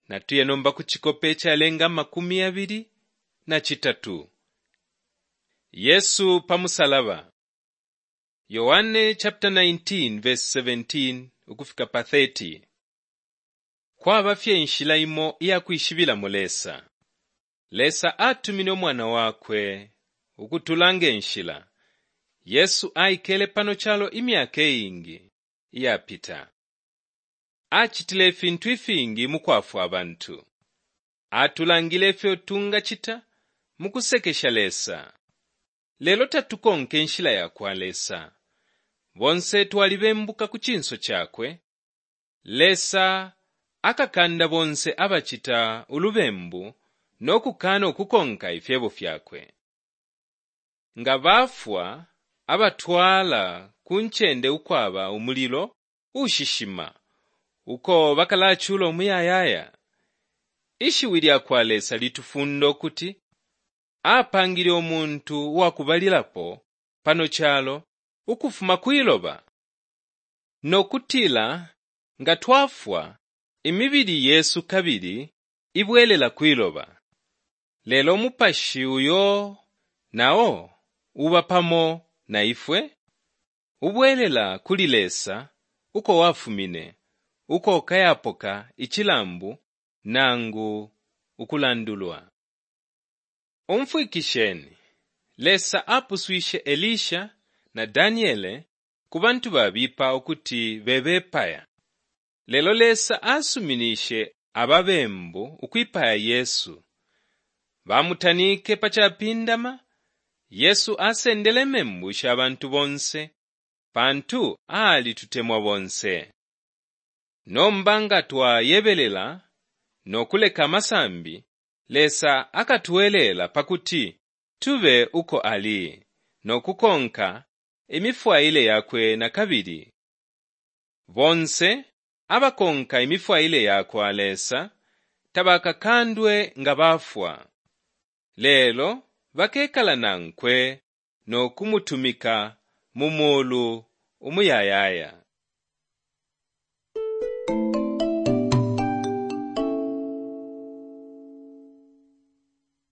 Natuye nomba ku cikope icalenga 23. Yesu pa musalaba. Yohane chapter 19 verse 17 ukufika pa 30. Kwaba fye inshila imo iya kwishibilamo Lesa. Lesa atumine umwana wakwe ukutulanga inshila. Yesu aikele pano calo imyaka iingi iyapita. Acitile ifintu ifingi mu kwafwa abantu. Atulangile ifyo tungacita mu kusekesha Lesa. Lelo tatukonka inshila ya kwa Lesa. Bonse twalibembuka ku cinso cakwe. Lesa akakanda bonse abacita ulubembu no kukana ukukonka ifyebo fyakwe. Nga bafwa abatwala ku ncende ukwaba umulilo ushishima uko bakalacula umuyayaya. Ishiwi lya kwa Lesa litufunda ukuti apangile umuntu uwakubalilapo pano calo ukufuma kwiloba no kutila nga twafwa imibili yesu kabili ibwelela kwiloba. Lelo umupashi uyo nao uba pamo na ifwe ubwelela kuli Lesa uko wafumine uko ukayapoka icilambu nangu ukulandulwa. Umfwikisheni, Lesa apuswishe Elisha na Daniele ku bantu babipa ukuti bebepaya. Lelo Lesa asuminishe ababembu ukwipaya Yesu. Bamutanike pa capindama, Yesu asendele membu sha bantu bonse pantu alitutemwa bonse. Nomba nga twayebelela no kuleka amasambi, Lesa akatwelela pakuti tube uko ali no kukonka imifwaile yakwe na kabili. Bonse abakonka imifwaile yakwa Lesa tabakakandwe nga bafwa. Lelo bakekala nankwe no kumutumika mu mulu umuyayaya.